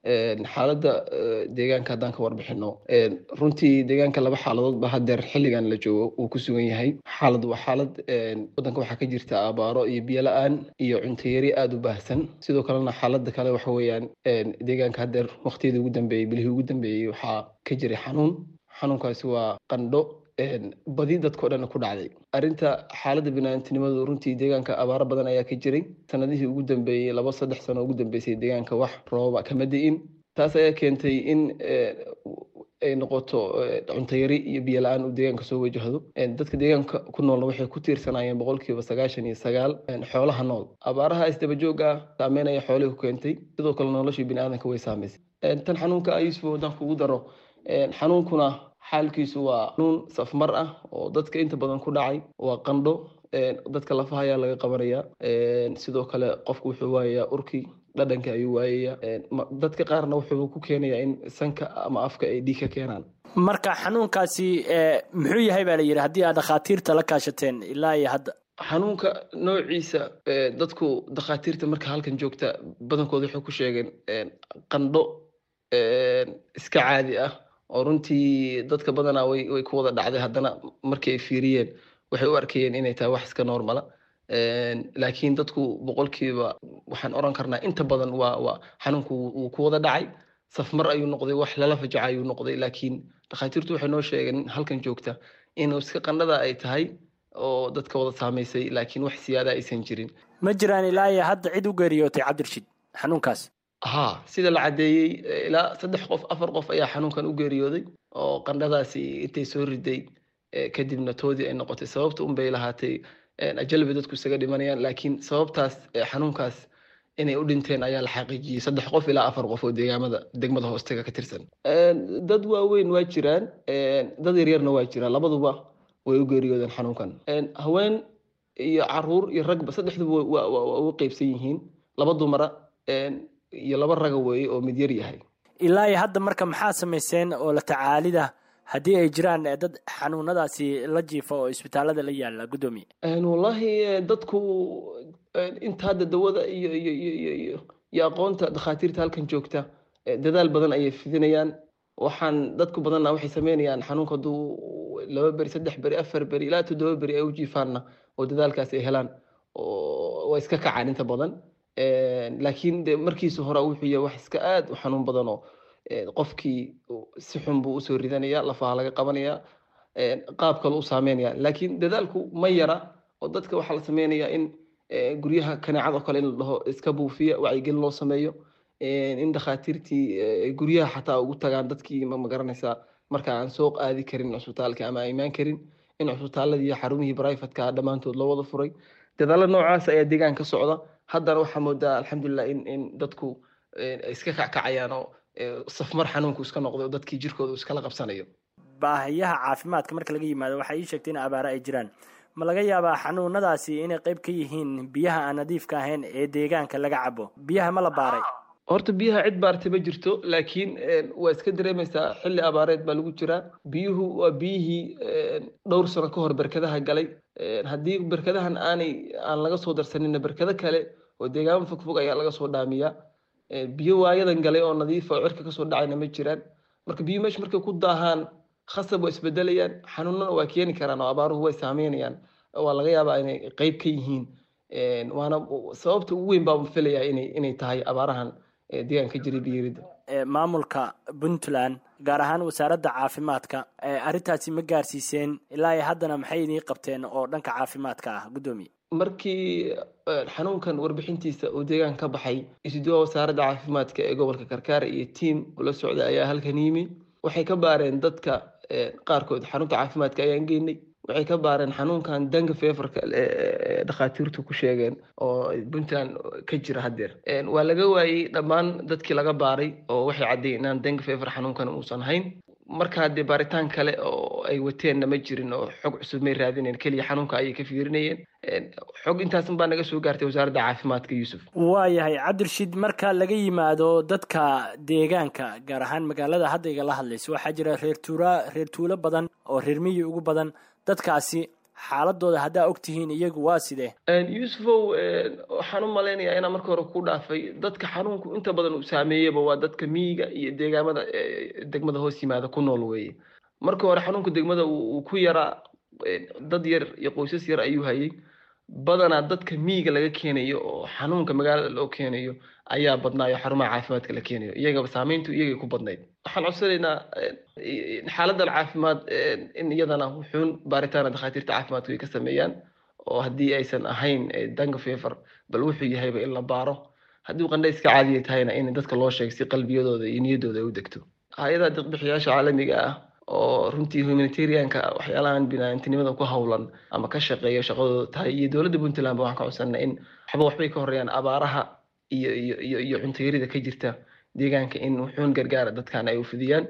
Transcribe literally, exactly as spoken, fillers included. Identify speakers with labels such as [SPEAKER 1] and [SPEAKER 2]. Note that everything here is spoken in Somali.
[SPEAKER 1] Xaaladda deegaanka haddaan ka warbixino, runtii deegaanka laba xaaladood ba hadeer xilligan la joogo uu ku sugan yahay. Xaalad waa xaalad waddanka waxaa ka jirta abaaro iyo biyo la-aan iyo cunto yari aada u baahsan. Sidoo kalena xaaladda kale waxa weeyaan deegaanka hadeer waqtiyadii ugu dambeeyey, bilihii ugu dambeeyey, waxaa ka jiray xanuun. Xanuunkaasi waa qandho badi dadkao dhan ku dhacday. Arrinta xaaladda biniaadantinimadu, runtii deegaanka abaaro badan ayaa ka jiray sanadihii ugu dambeeyey. Laba saddex sano ugu dambeysay deegaanka wax rooba kama di'in. Taas ayaa keentay in ay noqoto cunto yari iyo biyo la-aan uu deegaanka soo wajahdo. Dadka deegaanka ku noolna waxay ku tiirsanayeen boqolkiiba sagaashan iyo sagaal xoolaha nool. Abaaraha isdaba joog ah saameynaya xoolihii ku keentay, sidoo kale noloshii biniaadanka way saameysay. Tan xanuunka ah, Yuusuf, haddaan kugu daro, xanuunkuna xaalkiisu waa xanuun safmar ah oo dadka inta badan ku dhacay. Waa qandho, dadka lafaha ayaa laga qabanaya. Sidoo kale qofku wuxuu waayayaa urkii, dhadhanka ayuu waayaya. Dadka qaarna wuxuu ku keenayaa in sanka ama afka ay dhiig ka keenaan.
[SPEAKER 2] Marka xanuunkaasi muxuu yahay baa la yidhi, haddii aad dhakhaatiirta la kaashateen ilaa iyo hadda?
[SPEAKER 1] Xanuunka noociisa dadku dhakhaatiirta marka halkan joogta badankooda waxay ku sheegeen qandho iska caadi ah oo runtii dadka badanaa way way ku wada dhacday. Haddana markii ay fiiriyeen waxay u arkayeen inay tahay wax iska normal ah, laakiin dadku boqolkiiba waxaan oran karnaa inta badan waa waa xanuunku wuu ku wada dhacay, safmar ayuu noqday, wax lala fajaca ayuu noqday. Laakiin dhakhaatiirtu waxay noo sheegeen halkan joogta inuu iska qandhada ay tahay oo dadka wada saamaysay, laakiin wax siyaada aysan jirin.
[SPEAKER 2] Ma jiraan ilaa iyo hadda cid u geeriyootay, Cabdirashiid, xanuunkaas?
[SPEAKER 1] Ha, sida la caddeeyey ilaa saddex qof, afar qof ayaa xanuunkan u geeriyooday oo qandhadaasi intay soo riday kadibna toodii ay noqotay. Sababta un bay lahaatay ajal bay dadku isaga dhimanayaan, laakiin sababtaas xanuunkaas inay u dhinteen ayaa la xaqiijiyey, saddex qof ilaa afar qof oo deegaamada degmada hoostaga ka tirsan. Dad waaweyn waa jiraan, dad yaryarna waa jiraan, labaduba way u geeriyoodeen xanuunkan. Haween iyo caruur iyo ragba saddexduba waa u qeybsan yihiin, laba dumara iyo laba raga weeye oo mid yar yahay.
[SPEAKER 2] Ilaa iyo hadda marka maxaa samayseen oo la tacaalida haddii ay jiraan dad xanuunadaasi la jiifa oo isbitaalada la yaala, guddoomiye?
[SPEAKER 1] Wallahi dadku inta hadda dawada iyo iyo iyo iyo iyo iyo aqoonta dhakhaatiirta halkan joogta dadaal badan ayay fidinayaan. Waxaan dadku badanna waxay sameynayaan xanuunka hadduu laba beri, saddex beri, afar beri ilaa toddoba beri ay u jiifaanna oo dadaalkaas ay helaan oo waa iska kacaan inta badan. Laakiin de markiisa hore wuxuu yahay wax iska aad u xanuun badan oo qofkii si xun buu usoo ridanaya, lafaha laga qabanaya, qaab kale u saameynaya. Laakiin dadaalku ma yara oo dadka waxaa la sameynayaa in guryaha kaneecad oo kale in la dhaho iska buufiya, wacyigelin loo sameeyo, in dhakhaatiirtii guryaha xataa ugu tagaan dadkii, ma garanaysaa, marka aan soo aadi karin cusbitaalka ama aan imaan karin, in cusbitaaladii iyo xarumihii private-ka dhammaantood loo wada furay. Dadaalo noocaas ayaa deegaan ka socda. Haddana waxaa moodaa, alxamdulilah, in in dadku iska kackacayaan oo safmar xanuunku iska noqday oo dadkii jirkooda iskala qabsanayo.
[SPEAKER 2] Baahiyaha caafimaadka marka laga yimaado, waxay ii sheegtay in abaare ay jiraan. Ma laga yaabaa xanuunadaasi inay qayb ka yihiin biyaha aan nadiifka ahayn ee deegaanka laga cabo? Biyaha ma la baaray?
[SPEAKER 1] Horta biyaha cid baartay ma jirto, laakiin waa iska dareemaysaa, xilli abaareed baa lagu jiraa. Biyuhu waa biyihii dhowr sano ka hor berkadaha galay. Haddii berkadahan aanay aan laga soo darsanina, berkado kale oo deegaamo fogfog ayaa laga soo dhaamiyaa. Biyo waayadan galay oo nadiifa oo cirka kasoo dhacayna ma jiraan. Marka biyo meesha markay ku daahaan khasab waa isbedelayaan, xanuunana waa keeni karaan oo abaaruhu way saameynayaan. Waa laga yaabaa inay qeyb ka yihiin, waana sababta ugu weyn baa filayaa inay inay tahay abaarahan deegaanka ka jiray biyarida.
[SPEAKER 2] Maamulka Puntland, gaar ahaan wasaaradda caafimaadka, arrintaasi ma gaarsiiseen? Ilaa iyo haddana maxay idiin qabteen oo dhanka caafimaadka ah, guddoomiye?
[SPEAKER 1] Markii xanuunkan warbixintiisa uu deegaanka ka baxay, isuduwaha wasaaradda caafimaadka ee gobolka Karkaar iyo tiam ula socda ayaa halkan yimi. Waxay ka baareen dadka qaarkood, xarunta caafimaadka ayaan geynay, waxay ka baareen xanuunkan dengue fever-ka dhakhaatiirtu ku sheegeen oo Puntland ka jira haddeer. Waa laga waayey dhammaan dadkii laga baaray oo waxay caddeeyeen inaan dengue fever xanuunkan uusan hayn. Markaa dee baaritaan kale oo ay wateenna ma jirin oo xog cusub may raadineen, keliya xanuunka ayay ka fiirinayeen. Xog intaasan baa naga soo gaartay wasaaradda caafimaadka, Yuusuf.
[SPEAKER 2] Waayahay, Cabdirashiid. Marka laga yimaado dadka deegaanka, gaar ahaan magaalada hadda igala hadlayso, waxaa jira reer tuura, reer tuulo badan oo reer miyi ugu badan. Dadkaasi Xaaladooda haddaa og tihiin iyagu waa sidee?
[SPEAKER 1] Yuusufow, waxaan u malaynayaa inaan marka hore ku dhaafay, dadka xanuunku inta badan uu saameeyaba waa dadka miyiga iyo deegaamada degmada hoos yimaada ku nool weeye. Marka hore xanuunka degmada uu ku yaraa, dad yar iyo qoysas yar ayuu hayay. Badanaa dadka miyiga laga keenayo oo xanuunka magaalada loo keenayo ayaa badnaayo, xarumaha caafimaadka la keenayo iyagaba saameyntu iyagay ku badnayd. Waxaan codsanaynaa xaaladan caafimaad in iyadana wuxuun baaritaana dhakhaatiirta caafimaadku ay ka sameeyaan, oo haddii aysan ahayn dengue fever bal wuxuu yahayba in la baaro, haddii qandhayska caadiya tahayna in dadka loo sheego si qalbiyadooda iyo niyaddooda ay u degto. Hay-adaha deeqbixiyaasha caalamiga ah oo runtii humanitarianka, waxyaalahan biniaadantinimada ku hawlan ama ka shaqeeya shaqadooda tahay, iyo dowladda Puntland ba waxaan ka codsanaa in waxba waxbay ka horreeyaan abaaraha iyo iyo iyo iyo cunto yarida ka jirta deegaanka, in wuxuun gargaara dadkan ay u fidiyaan.